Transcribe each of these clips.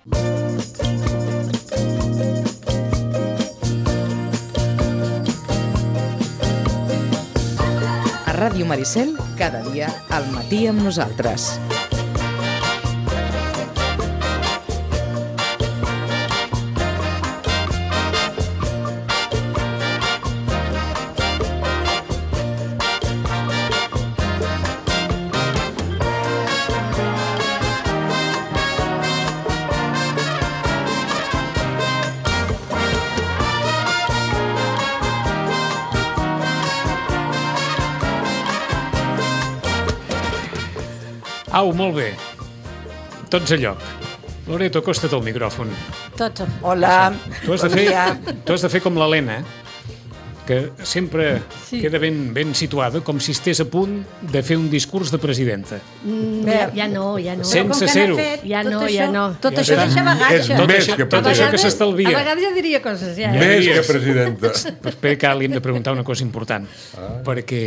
A Ràdio Maricel, cada dia al matí amb nosaltres. Au, molt bé. Tots a lloc. Loreto, acosta't al micròfon. Tots. Hola. Tu has de fer com l'Helena, que sempre queda ben situada, com si estés a punt de fer un discurs de presidenta. Ja no. Sense ser-ho. Ja no. Tot això deixa bagatge. Tot això que s'estalvia. A vegades ja diria coses, ja. Més que presidenta. Però espera que li hem de preguntar una cosa important. Perquè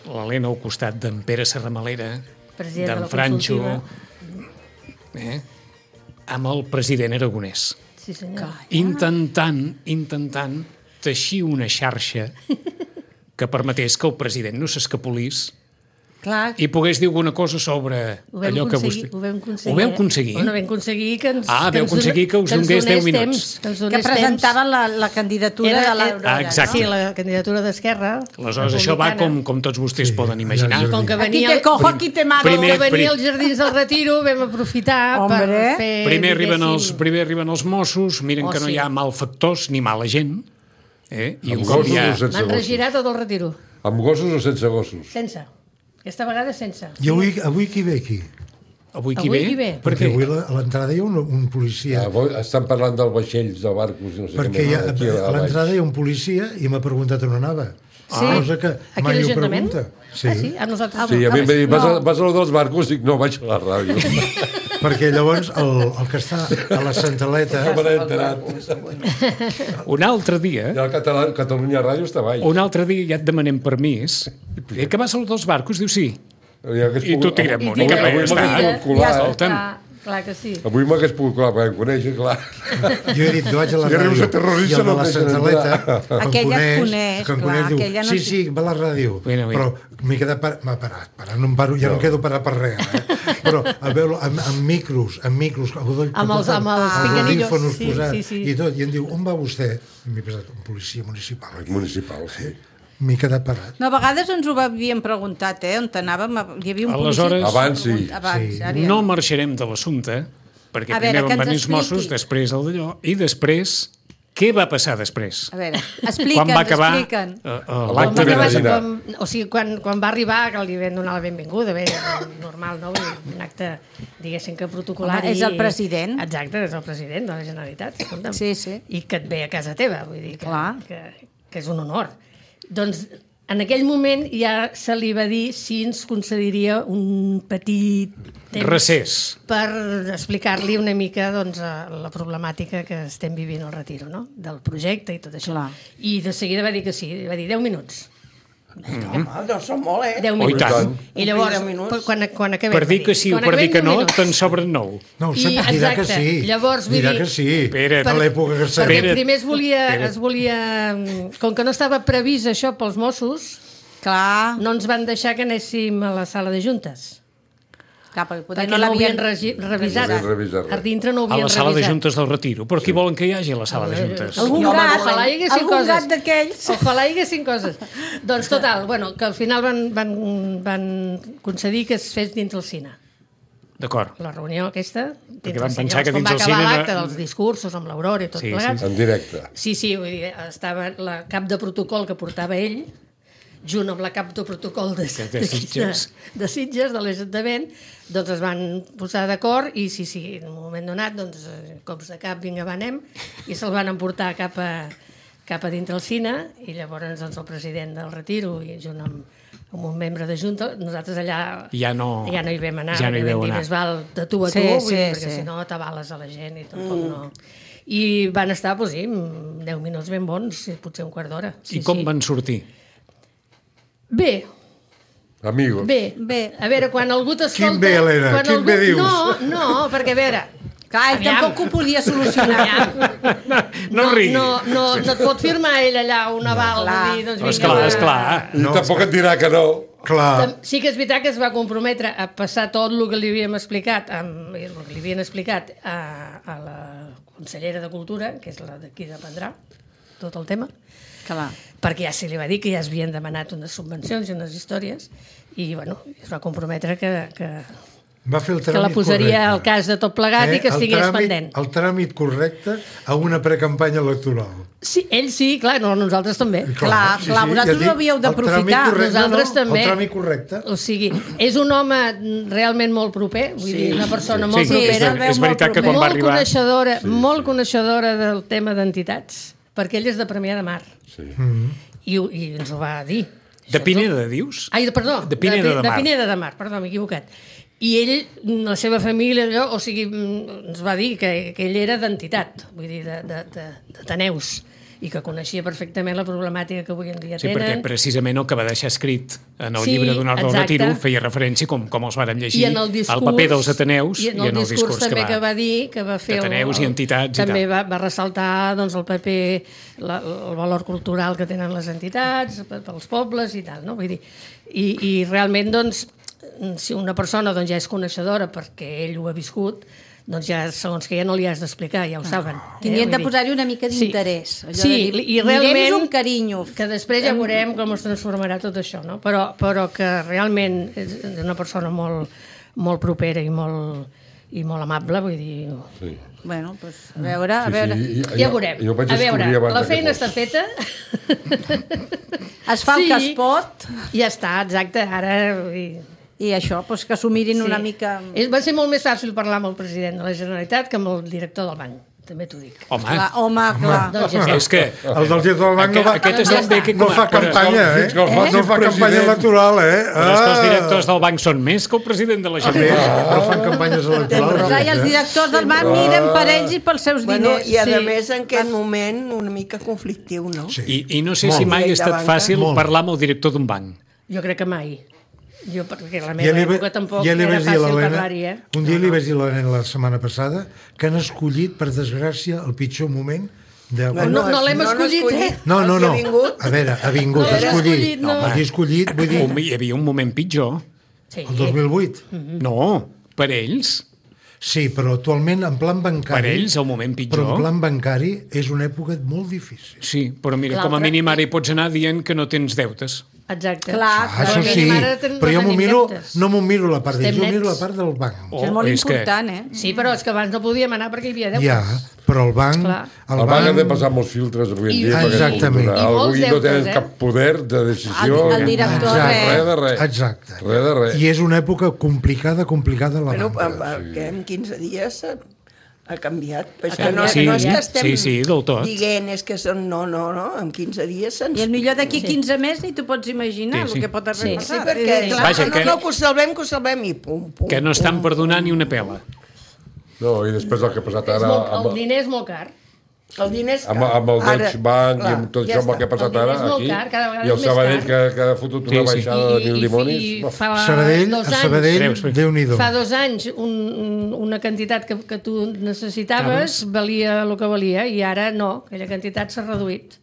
l'Helena al costat d'en Pere Serramalera, d'en Franxo, amb el president aragonès. Sí, senyor. Intentant teixir una xarxa que permetés que el president no s'escapolís i pogués dir alguna cosa sobre allò que vostè... Ho vam aconseguir. Ho vam aconseguir? Bueno, vam aconseguir que ens... vau aconseguir que us donés 10 minuts. Que presentaven la candidatura de l'Aurora. Exacte. Sí, la candidatura d'Esquerra. Aleshores, això va com tots vostès poden imaginar. I com que Aquí te cojo, aquí te mato. Com que venia als Jardins del Retiro, vam aprofitar per fer... Primer arriben els Mossos, miren que no hi ha malfactors ni mala gent. I un cop ja... M'han regirat tot el Retiro. Amb gossos o sense gossos? Sense. Aquesta vegada sense. I avui qui ve aquí? Avui qui ve? Perquè avui a l'entrada hi ha un policia. Estan parlant del vaixells, de barcos, no sé què. Perquè a l'entrada hi ha un policia i m'ha preguntat on anava. Cosa que mai ho pregunta. Sí, a nosaltres. Sí, a mi m'ha dit, vas a lo dels barcos? Dic, no, vaig a la ràdio. Perquè llavors el que està a la Centraleta... No me n'he enterat. Un altre dia... I el Catalunya Ràdio està baix. Un altre dia ja et demanem permís. I que vas a lo dels barcos? Diu, sí. I tu tira amunt. I cap allà està. Clar que sí. Avui m'hagués pogut colar, perquè em coneixes, clar. Jo he dit, no vaig a la ràdio. I el de la Centraleta, aquella et coneix, clar, aquella no... Sí, va a la ràdio. Però m'he quedat parat, no em paro, ja no quedo parat per res, però a veure, amb micros, amb els pinganillos posats i tot, i em diu, on va vostè? M'he pensat, un policia municipal. Municipal, sí. M'he quedat parat. No, a vegades ens ho havíem preguntat, on t'anàvem, hi havia un policia... Abans sí. No marxarem de l'assumpte, perquè primer van venir els Mossos, després el d'allò, i després, què va passar després? A veure, expliquen. L'acte de Navidad. O sigui, quan va arribar, que li vam donar la benvinguda, bé, normal, no? Un acte, diguéssim que protocolari... És el president. Exacte, és el president de la Generalitat. Sí. I que et ve a casa teva, vull dir que és un honor. Doncs en aquell moment ja se li va dir si ens concediria un petit temps recés per explicar-li una mica la problemàtica que estem vivint al Retiro, no? Del projecte i tot això. I de seguida va dir que sí, va dir 10 minuts. No són molt, 10 minuts. tant. I llavors, quan acabem... Per dir que sí o per dir que no, te'n sobren 9. No, dirà que sí. Llavors, dirà que sí. A l'època que perquè primer es volia... Com que no estava previst això pels Mossos, no ens van deixar que anéssim a la sala de juntes. Perquè no l'havien revisat. A dintre no ho havien revisat. A la sala de juntes del Retiro. Però qui volen que hi hagi a la sala de juntes? Algun gat d'aquells. Ojalà hi haguessin coses. Doncs total, que al final van concedir que es fes dins el cine. D'acord. La reunió aquesta, perquè van pensar que dins el cine... Com va acabar l'acte dels discursos amb l'Aurora i tot plegat. En directe. Sí, vull dir, estava la cap de protocol que portava ell, junt amb la cap de protocol de Sitges, de l'Ajuntament, doncs es van posar d'acord i sí, en un moment donat, doncs, cops de cap, vinga, anem, i se'l van emportar cap a dintre el cine, i llavors el president del Retiro, i junt amb un membre de Junta, nosaltres allà ja no hi vam anar, ja no hi vau anar. Més val de tu a tu, perquè si no t'avales a la gent i tampoc no... I van estar, 10 minuts ben bons, potser un quart d'hora. I com van sortir? Bé. Amigos. Bé. A veure, quan algú t'escolta... Quin bé, Helena, quin bé dius? No, perquè a veure, Clar, ell tampoc ho podia solucionar. No rigui. No et pot firmar ell allà un aval. Esclar. I tampoc et dirà que no. Clar. Sí que és veritat que es va comprometre a passar tot el que li havíem explicat, a la consellera de Cultura, que és la d'aquí dependrà, tot el tema, perquè ja se li va dir que ja es havien demanat unes subvencions i unes històries, i bueno, es va comprometre que Va fer el que tràmit la posaria correcte. al cas de tot plegat i que estigués pendent. El tràmit correcte a una precampanya electoral. Sí, ell sí, clar, no, nosaltres també. Clar, vosaltres ho havíeu d'aprofitar. Nosaltres també. El tràmit correcte. O sigui, és un home realment molt proper, vull dir, una persona molt propera. És veritat que quan va arribar... Molt coneixedora del tema d'entitats, perquè ell és de Premià de Mar. I ens ho va dir. De Pineda, dius? Ai, perdó, de Pineda de Mar, perdó, m'he equivocat. I ell, la seva família, allò, o sigui, ens va dir que ell era d'entitat, vull dir, d'Ateneus, i que coneixia perfectament la problemàtica que avui en dia tenen. Sí, perquè precisament el que va deixar escrit en el llibre d'un Ardo Retiro feia referència com els vàrem llegir al paper dels Ateneus i en el discurs també que va dir, que va fer Ateneus i entitats també va ressaltar doncs, el paper, el valor cultural que tenen les entitats pels pobles i tal, no? Vull dir, i realment, doncs, si una persona doncs, ja és coneixedora perquè ell ho ha viscut, doncs ja, segons que ja no li has d'explicar, ja ho saben. Tindrien de posar-hi una mica d'interès. Sí, i realment... un carinyo. Que després ja veurem com es transformarà tot això, no? Però que realment és una persona molt propera i molt amable, vull dir... Sí. Bueno, doncs, a veure... Ja veurem. A veure, la feina està feta. Es fa el que es pot. Ja està, exacte, ara... I això, doncs que s'ho mirin una mica... Va ser molt més fàcil parlar amb el president de la Generalitat que amb el director del banc, també t'ho dic. Home, clar. Doncs ja està. És que... El del director del banc no fa campanya, no fa campanya electoral, Però és que els directors del banc són més que el president de la Generalitat. Però fan campanyes electorals. I els directors del banc miren per ells i pels seus diners. I a més en aquest moment una mica conflictiu, no? I no sé si mai ha estat fàcil parlar amb el director d'un banc. Jo crec que mai. Perquè la meva època tampoc era fàcil parlar-hi, Un dia li vaig dir a l'Helena la setmana passada que han escollit, per desgràcia, el pitjor moment de... No l'hem escollit, No. A veure, ha vingut a escollir. Ha escollit, vull dir... Hi havia un moment pitjor. El 2008. No, per ells. Sí, però actualment en plan bancari... Per ells, el moment pitjor. Però en plan bancari és una època molt difícil. Sí, però mira, com a mínim ara hi pots anar dient que no tens deutes. Exacte. Això sí, però jo no m'ho miro la part d'ells, jo miro la part del banc. És molt important, Sí, però és que abans no podíem anar perquè hi havia deutes. Ja, però el banc... El banc ha de passar molts filtres avui en dia. Exactament. Avui no tenen cap poder de decisió. El director, res de res. Exacte. Res de res. I és una època complicada la banca. Perquè en 15 dies ha canviat. És que no és que estem dient que són no, en 15 dies se'ns... I el millor d'aquí 15 més ni t'ho pots imaginar el que pot haver passat. Sí, perquè clar, que ho salvem i pum. Que no estan perdonant ni una pela. No, i després el que ha passat ara... El diner és molt car. El diner és car. Amb el Deutsche Bank i amb tot això amb el que ha passat ara aquí, i el Sabadell que ha fotut una baixada de 1.000 dimonis. Sabadell, Déu-n'hi-do. Fa 2 anys una quantitat que tu necessitaves valia el que valia i ara no, aquella quantitat s'ha reduït.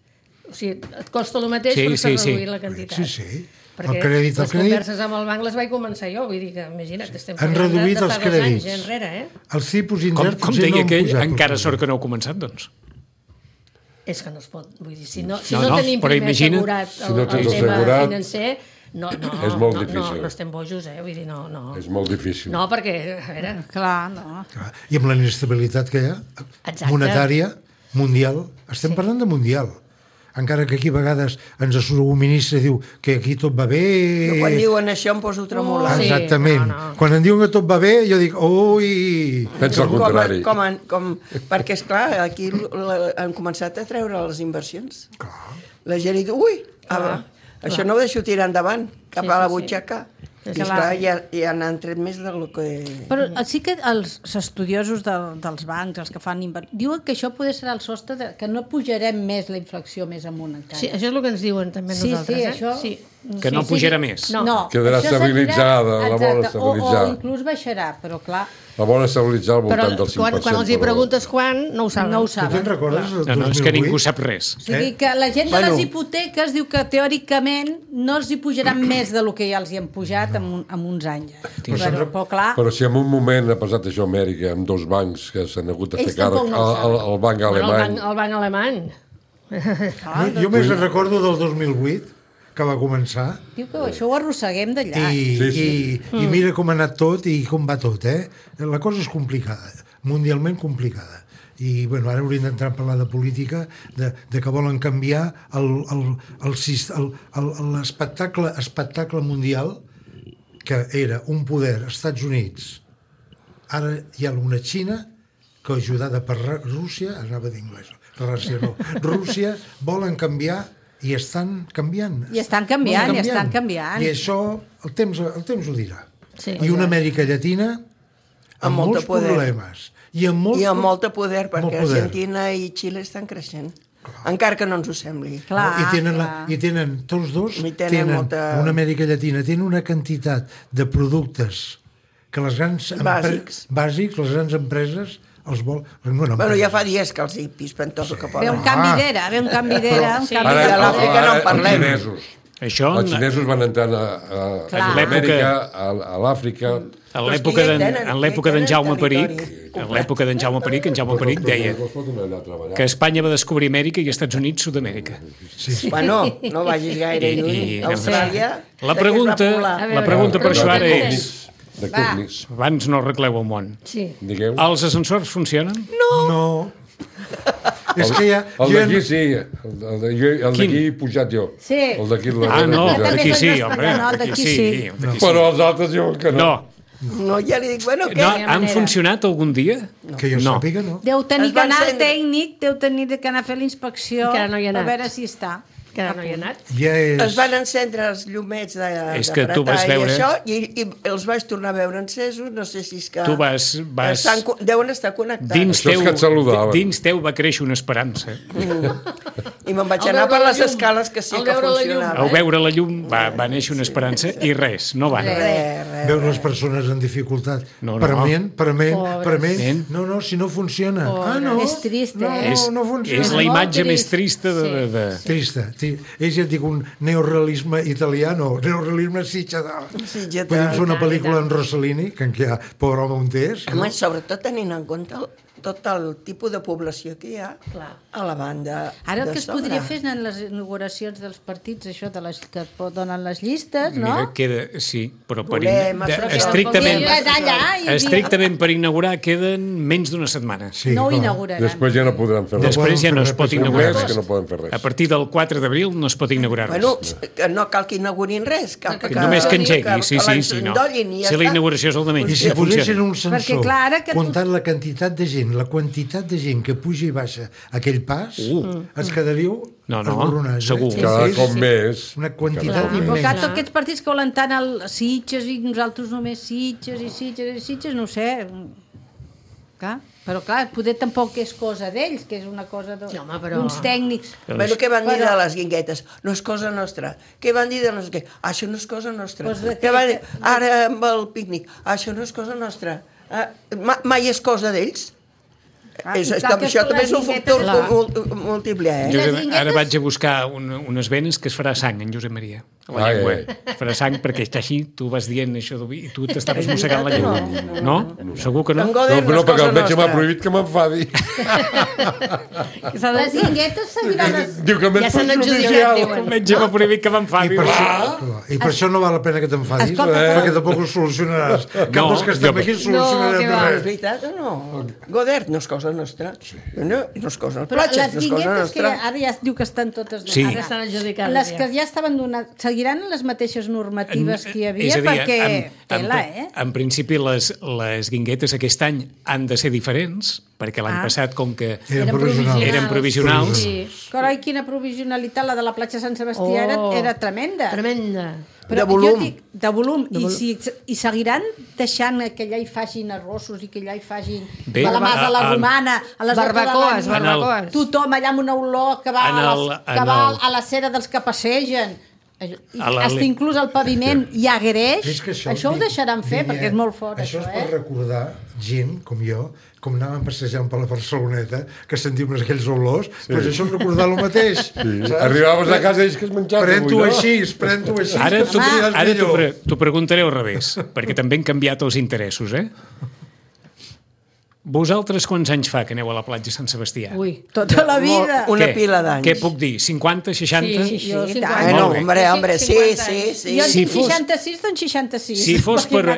O sigui, et costa el mateix però s'ha reduït la quantitat. Sí. Perquè les converses amb el banc les vaig començar jo, vull dir que, imagina't, estem parlant de fa 2 anys enrere, Els tipus interns com deia aquell, encara sort que no heu començat, doncs. És que no es pot, vull dir, si no tenim primer assegurat el tema financer, no estem bojos, vull dir, no. És molt difícil. No, perquè, a veure... Clar, no. I amb la inestabilitat que hi ha, monetària, mundial, estem parlant de mundial. Encara que aquí a vegades ens surt un ministre i diu que aquí tot va bé... No, quan diuen això em poso tremolant. Exactament. Quan em diuen que tot va bé, jo dic, ui... Pensa el contrari. Perquè, esclar, aquí han començat a treure les inversions. Clar. La gent diu, això no ho deixo tirar endavant, cap a la butxaca. I esclar, ja n'han tret més del que... Però sí que els estudiosos dels bancs, els que fan diuen que això potser serà el sostre, que no pujarem més la inflació més amunt encara. Sí, això és el que ens diuen també nosaltres. Sí, això... Sí. Que no pujarà més. No. Quedarà estabilitzada, la bola estabilitzada. O inclús baixarà, però clar... La volen estabilitzar al voltant del 5%. Però quan els hi preguntes quan, no ho saben. Tu te'n recordes? No, és que ningú sap res. O sigui que la gent de les hipoteques diu que teòricament no els hi pujaran més del que ja els hi han pujat en uns anys. Però clar... Però si en un moment ha passat això a Amèrica, amb 2 bancs que s'han hagut de fer càrrec, el banc alemany... El banc alemany. Jo més recordo del 2008, que va començar. Diu que això ho arrosseguem d'allà. I mira com ha anat tot i com va tot, La cosa és complicada, mundialment complicada. I, bueno, ara hauríem d'entrar a parlar de política, de que volen canviar l'espectacle mundial, que era un poder, Estats Units. Ara hi ha una Xina que, ajudada per Rússia, anava d'inglès, Rússia, volen canviar i estan canviant. I estan canviant. I això el temps ho dirà. Sí, i una Amèrica Llatina amb molts problemes. I amb molta poder, perquè Argentina i Xile estan creixent. Encara que no ens ho sembli. I tenen, tots dos, una Amèrica Llatina, tenen una quantitat de productes que les grans... Bàsics, les grans empreses... Bueno, ja fa dies que els hi pispen tot el que poden. Ve un canvi d'era, Ara a l'Àfrica no en parlem. Els xinesos van entrar a l'Amèrica, a l'Àfrica... En l'època d'en Jaume Peric, en Jaume Peric deia que Espanya va descobrir Amèrica i Estats Units Sud-amèrica. Bueno, no vagis gaire lluny. Austràlia... La pregunta per això ara és... Abans no arregleu el món. Els ascensors funcionen? No. És que ja... El d'aquí sí, el d'aquí he pujat jo. Sí. El d'aquí... No, el d'aquí sí, home. Però els altres diuen que no. No, ja li dic, bueno, què? Han funcionat algun dia? Que jo sàpiga, no. Deu tenir que anar al tècnic, deu tenir que anar a fer la inspecció, a veure si està. Que no hi ha anat. Es van encendre els llumets de pretar i això, i els vaig tornar a veure encesos, no sé si és que... Tu vas... Deuen estar connectats. Dins teu va créixer una esperança. I me'n vaig anar per les escales que sí que funcionava. Al veure la llum va néixer una esperança i res, no va. Veure les persones en dificultat. Prement. No, si no funciona. No. És trist, No funciona. És la imatge més trista de... Trista. És, ja et dic, un neorealisme italiano, neorealisme sitgetà. Podem fer una pel·lícula en Rossellini, que en què hi ha Pobre home un test. Home, sobretot tenint en compte tot el tipus de població que hi ha a la banda. Ara el que es podria fer és en les inauguracions dels partits, això de les que donen les llistes, no? Mira, queda... Sí, però estrictament per inaugurar queden menys d'una setmana. No ho inauguraran. Després ja no podran fer res. Després ja no es pot inaugurar res. A partir del 4 d'abril no es pot inaugurar res. Bueno, no cal que inaugurin res. Només que engegui, sí. Si la inauguració és el de menys. I si posessin un sensor comptant la quantitat de gent que puja i baixa aquell pas, es quedaríeu esborronats. Segur. Cada cop més. Una quantitat immensa. Però tots aquests partits que volen tant el Sitges i nosaltres només Sitges, no ho sé. Però clar, poder tampoc és cosa d'ells, que és una cosa d'uns tècnics. Bueno, què van dir de les guinguetes? No és cosa nostra. Què van dir de les guinguetes? Això no és cosa nostra. Què van dir? Ara amb el pícnic. Això no és cosa nostra. Mai és cosa d'ells. Això també és un factor múltiple. Ara vaig a buscar unes venes que es farà sang en Josep Maria. La llengua. Farà sang perquè està així, tu vas dient això i tu t'estaves mossegant la llengua. No? Segur que no? No, perquè el metge m'ha prohibit que m'enfadi. Les guinguetes seguiran... Diu que ja s'han adjudicat. El metge m'ha prohibit que m'enfadi. I per això no val la pena que t'enfadis, perquè tampoc ho solucionaràs. Cap dels que estem aquí solucionarem res. És veritat o no? Godert no és cosa nostra. No és cosa nostra. Però les guinguetes que ara ja es diu que estan totes... Ara estan adjudicades. Les que ja estaven donades... Seguiran les mateixes normatives que hi havia, perquè... En principi, les guinguetes aquest any han de ser diferents, perquè l'any passat, com que eren provisionals... Carai, quina provisionalitat, la de la platja Sant Sebastià era tremenda. De volum. De volum. I seguiran deixant que allà hi facin arrossos i que allà hi facin calamars a la romana, a les barbacoes. Tothom allà amb una olor que va a la cera dels que passegen. Hasta inclús el paviment hi ha greix, això ho deixaran fer perquè és molt fort, això és per recordar gent com jo, com anàvem passejant per la Barceloneta, que sentim aquells olors, doncs això és recordar el mateix. Arribaves a casa i és que es menjava. Pren-t'ho així. Ara t'ho preguntaré al revés, perquè també han canviat els interessos, Vosaltres quants anys fa que aneu a la platja Sant Sebastià? Ui, tota la vida. Una pila d'anys. Què puc dir? 50, 60? Sí, no, hombre, sí. Jo tinc 66, doncs 66.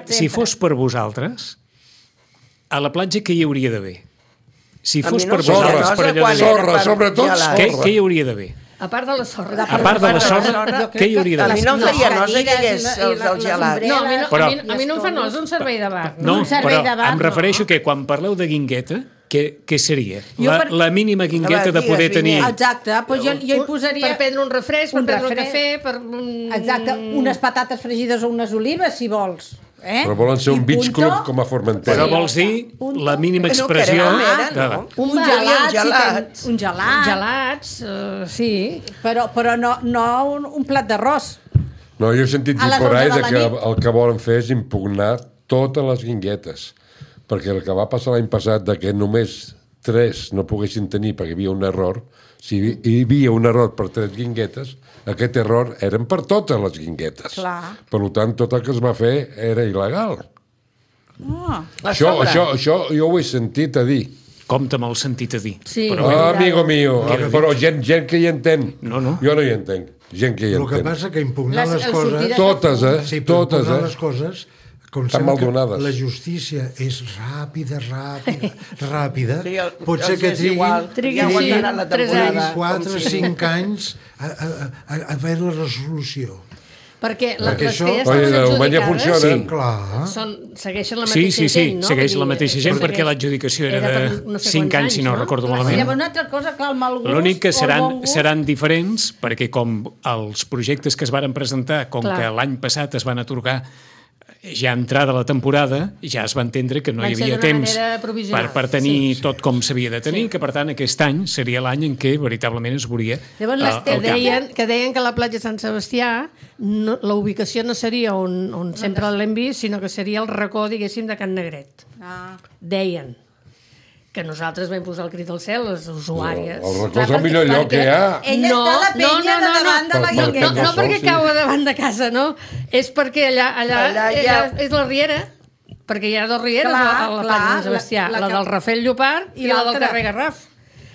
Si fos per vosaltres, a la platja què hi hauria d'haver? Si fos per vosaltres, per allò de... Sorra, sobretot sorra. Què hi hauria d'haver? A part de la sorra. A part de la sorra, què hi hauria d'haver? A mi no em faria nosa que hi hagués el gelat. No, a mi no em fa nosa un servei de bar. No, però em refereixo que quan parleu de guingueta, què seria? La mínima guingueta de poder tenir... Exacte, doncs jo hi posaria... Per prendre un refresc, per prendre un cafè, per... Exacte, unes patates fregides o unes olives, si vols. Però volen ser un beach club com a Formentera. Però vols dir la mínima expressió... Un gelat. Un gelat. Gelats, sí. Però no un plat d'arròs. No, jo he sentit dir por ahí que el que volen fer és impugnar totes les guinguetes. Perquè el que va passar l'any passat de que només 3 no poguessin tenir perquè hi havia un error, si hi havia un error per 3 guinguetes, aquest error eren per totes les guinguetes. Clar. Per tant, tot el que es va fer era il·legal. Això jo ho he sentit a dir. Compte amb el sentit a dir. Sí. Amigo mío, però gent que hi entén. No. Jo no hi entenc. Gent que hi entén. El que passa que impugnar les coses... Totes, Sí, totes, impugnar les coses... Com que la justícia és ràpida, pot ser que triguin 4 o 5 anys a veure la resolució. Perquè les que ja estan segueixen la mateixa gent, no? Segueix la mateixa gent perquè l'adjudicació era de 5 anys, si no recordo malament. Una altra cosa, clar, el mal gust... L'únic que seran diferents, perquè com els projectes que es varen presentar, com que l'any passat es van atorgar ja entrada la temporada, ja es va entendre que no hi havia temps per tenir tot com s'havia de tenir, que per tant aquest any seria l'any en què veritablement es veuria que deien que la platja Sant Sebastià la ubicació no seria on sempre l'hem vist, sinó que seria el racó, diguéssim, de Can Negret. Deien que nosaltres vam posar el crit al cel, les usuàries. El racó és el millor lloc que hi ha. Ella està a la penya de davant de la guingueta. No perquè cau davant de casa, no. És perquè allà és la riera, perquè hi ha 2 rieres a la platja de Sant Sebastià, la del Rafel Llopart i la del carrer Garraf.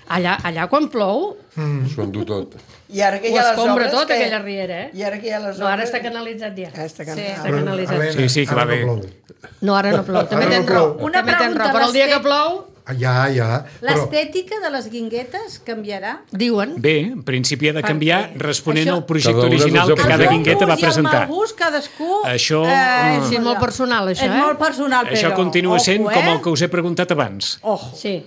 Allà quan plou... S'ho endú tot. I ara que hi ha les obres... tot aquella riera, I ara que hi ha les obres... No, ara està canalitzat ja. Està canalitzat. Sí, que va bé. No, ara no plou. També tens raó. Una pregunta, però el dia que plou... Ja. L'estètica de les guinguetes canviarà? Diuen. Bé, en principi ha de canviar responent al projecte original que cada guingueta va presentar. I el mal gust, cadascú... Això... Sí, és molt personal, això, És molt personal, però... Això continua sent com el que us he preguntat abans.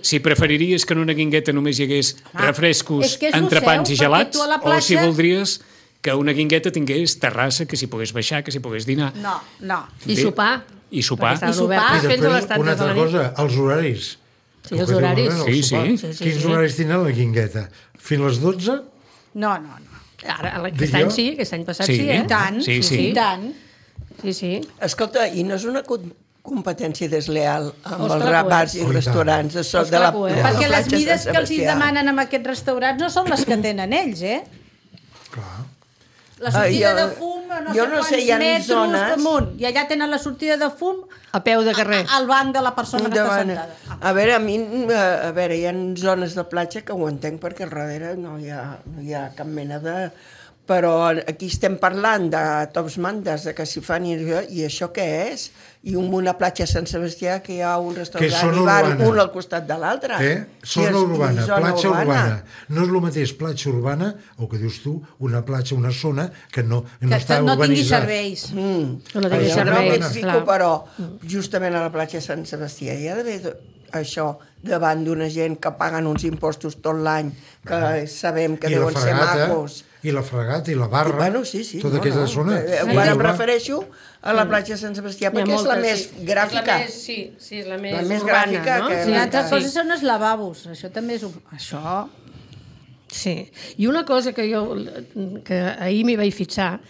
Si preferiries que en una guingueta només hi hagués refrescos, entrepans i gelats, o si voldries que una guingueta tingués terrassa, que s'hi pogués baixar, que s'hi pogués dinar. No. I sopar. I sopar. I després, una altra cosa, els horaris. Sí, els horaris. Sí. Quins horaris tenen la guingueta? Fins a les 12? No. Ara, aquest any sí, aquest any passat sí, I tant. Sí. Sí. Escolta, i no és una competència desleal amb els bars i restaurants de la perquè les mides que els demanen en aquests restaurants no són les que tenen ells, Clar. La sortida de fum, no sé quants metres damunt, i allà tenen la sortida de fum a peu de carrer, al banc de la persona que està sentada. A veure, hi ha zones de platja que ho entenc perquè al darrere no hi ha cap mena de... Però aquí estem parlant de tops mandes, de que s'hi fan i això què és? I una platja a Sant Sebastià que hi ha un restaurant i bar, un al costat de l'altre. Zona urbana, platja urbana. No és el mateix platja urbana, o que dius tu, una platja, una zona que no està urbanitzada. Que no tingui serveis. No tingui serveis, clar. Però justament a la platja de Sant Sebastià hi ha d'haver això davant d'una gent que paguen uns impostos tot l'any, que sabem que deuen ser macos. I la fregata i la barra, tota aquesta zona. Ara em refereixo a la platja de Sant Sebastià, perquè és la més gràfica. Sí, és la més gràfica. Una altra cosa són els lavabos. Això també és... Això... Sí, i una cosa que ahir m'hi vaig fixar,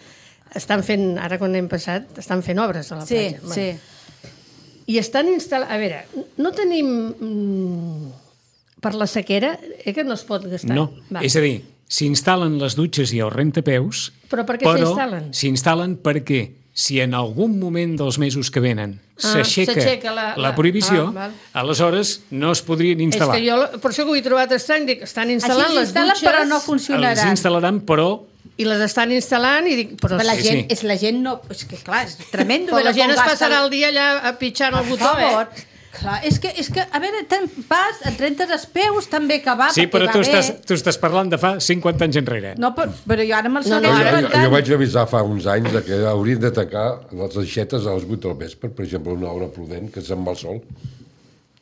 estan fent, ara quan hem passat, estan fent obres a la platja. Sí. I estan instal·lant... A veure, no tenim... Per la sequera, que no es pot gastar. No, és a dir, s'instal·len les dutxes i els rentapeus, però per què s'instal·len? S'instal·len perquè si en algun moment dels mesos que venen s'aixeca la prohibició, aleshores no es podrien instal·lar. És que jo, per això que ho he trobat estrany, dic, estan instal·lant les dutxes... però no funcionaran. Els instal·laran, però... I les estan instal·lant i dic... Però la gent no... És que, clar, és tremendo. Però la gent es passarà el dia allà pitjant el botó, Clar, és que, a veure, vas, et rentes els peus, també que va, sí, però tu estàs parlant de fa 50 anys enrere. No, però jo ara me'l segueix inventant. Jo vaig avisar fa uns anys que haurien de tancar les aixetes a les 8 del vespre, per exemple, una hora prudent, que se'n va el sol.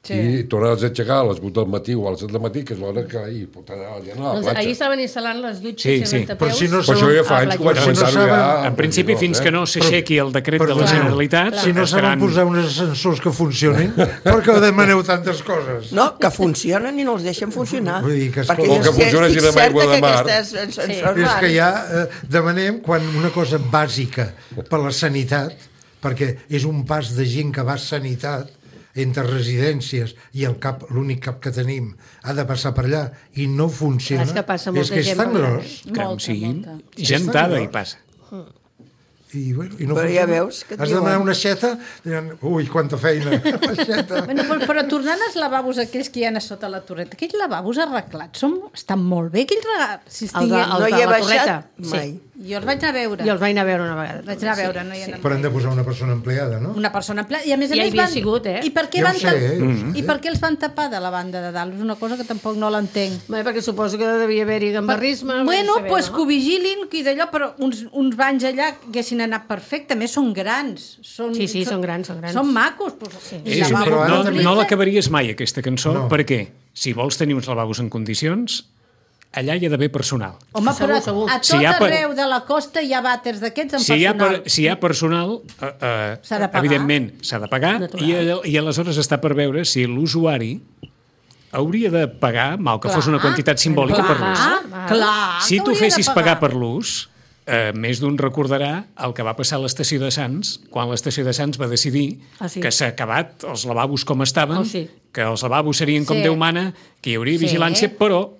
Sí. I tornar-les a aixecar a les 8 del matí o a les 7 del matí, que és l'hora que ahir pot anar a la platja. Ahir estaven instal·lant les dutxes i rentapeus. Però si no això ja fa anys que ho vaig pensar-ho ja... En principi, fins que no s'aixequi el decret de la Generalitat... Si no saben posar uns ascensors que funcionin, per què demaneu tantes coses? No, que funcionen i no els deixen funcionar. Vull dir que perquè jo estic certa que aquestes... És que ja demanem, quan una cosa bàsica per la sanitat, perquè és un pas de gent que va a sanitat, entre residències i l'únic cap que tenim ha de passar per allà i no funciona, és que és tan gros. Gentada hi passa. I no però ja veus que has de demanar una aixeta, ui, quanta feina, l'aixeta. Però tornant als lavabos aquells que hi ha a sota la torreta, aquells lavabos arreglats estan molt bé, aquells regals. No hi he baixat mai. Jo els vaig anar a veure. Jo els vaig anar a veure una vegada. Vaig anar a veure, no hi ha anat. Però han de posar una persona empleada, no? Una persona empleada. I a més a més havia sigut, I per què I per què els van tapar de la banda de dalt? És una cosa que tampoc no l'entenc. Perquè suposo que devia haver-hi gambarrisme. Bueno, doncs que ho vigilin, que d'allò, però uns banys allà haguessin anat perfecte. A més, són grans. Sí, són grans. Són macos. No l'acabaries mai, aquesta cançó, perquè si vols tenir uns lavabos en condicions, allà hi ha d'haver personal. Home, però a tot arreu de la costa hi ha vàters d'aquests amb personal. Si hi ha personal, evidentment s'ha de pagar i aleshores està per veure si l'usuari hauria de pagar, mal que fos una quantitat simbòlica per l'ús. Si tu fessis pagar per l'ús, més d'un recordarà el que va passar a l'estació de Sants, quan l'estació de Sants va decidir que s'ha acabat els lavabos com estaven, que els lavabos serien com Déu mana, que hi hauria vigilància, però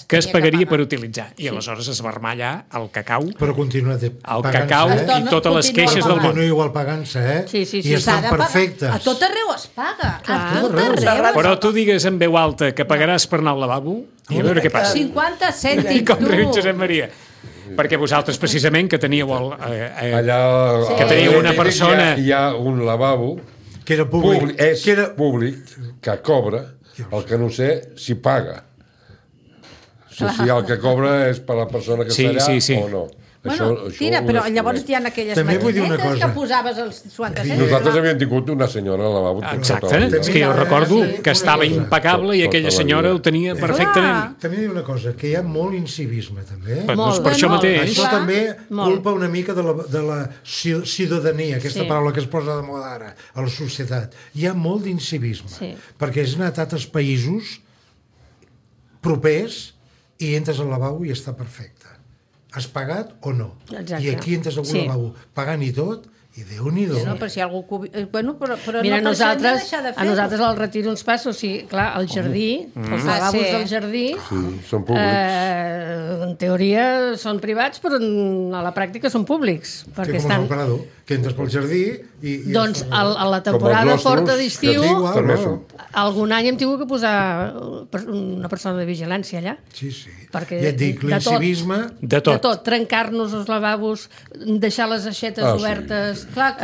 que es pagaria per utilitzar. I aleshores es va armar allà el cacau. Però continua el cacau i totes les queixes del món. Continua igual pagant-se, I estan perfectes. A tot arreu es paga. A tot arreu. Però tu digues en veu alta que pagaràs per anar al lavabo i a veure què passa. 50 cèntims, tu. Com riu Josep Maria. Perquè vosaltres, precisament, que teníeu allà que teníeu una persona... Hi ha un lavabo que era públic. És públic, que cobra, el que no sé si paga. Si el que cobra és per la persona que està allà o no. Bueno, tira, però llavors hi ha aquelles maquinetes que posaves els 50 cèntims. Nosaltres havíem tingut una senyora al lavabo. Exacte, és que jo recordo que estava impecable i aquella senyora ho tenia perfectament. També diu una cosa, que hi ha molt incivisme, també. Doncs per això mateix. Això també culpa una mica de la ciutadania, aquesta paraula que es posa de moda ara, a la societat. Hi ha molt d'incivisme, perquè és anat a altres països propers i entres al lavabo i està perfecte. Has pagat o no? Exacte. I aquí entres a un lavabo pagant i tot, i Déu-n'hi-do. No, però si algú... Bueno, però mira, no a nosaltres al Retiro ens passa, o sigui, clar, el jardí, els lavabos del jardí, són públics. En teoria són privats, però a la pràctica són públics. Perquè com el parador, que entres pel jardí i... Doncs a la temporada forta d'estiu, algun any hem tingut que posar una persona de vigilància allà. Sí. Ja et dic, l'incivisme... De tot. Trencar-nos els lavabos, deixar les aixetes obertes... Clar,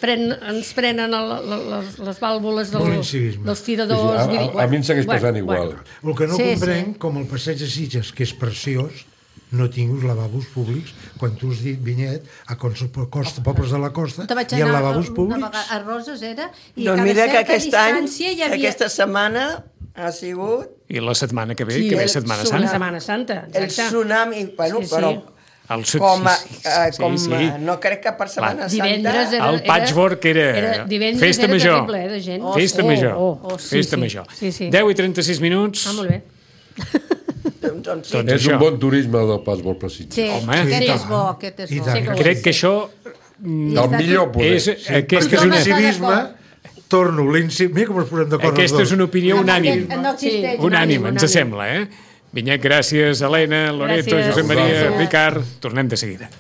ens prenen les vàlvules dels tiradors. A mi em segueix passant igual. El que no comprenc, com el passeig de Sitges, que és preciós, no tinguis lavabos públics quan tu has dit, Vinyet, a pobles de la costa hi ha lavabos públics. A Roses era... Doncs mira que aquest any, aquesta setmana ha sigut... I la setmana que ve, que ve Setmana Santa. Setmana Santa, el tsunami, bueno, però... no crec que per Setmana Santa... El patchwork era festa major. Festa major. Festa major. 10 i 36 minuts. Molt bé. Doncs sí. És un bon turisme del Pas Molt Precís. Sí, aquest és bo, aquest és bo. Crec que això... El millor poder. Perquè l'incivisme, torno, mira com ens posem d'acord. Aquesta és una opinió unànime. No existeix. Unànime, ens sembla, eh? Vinyet, gràcies, Helena, Loreto, Josep Maria, Ricard. Tornem de seguida.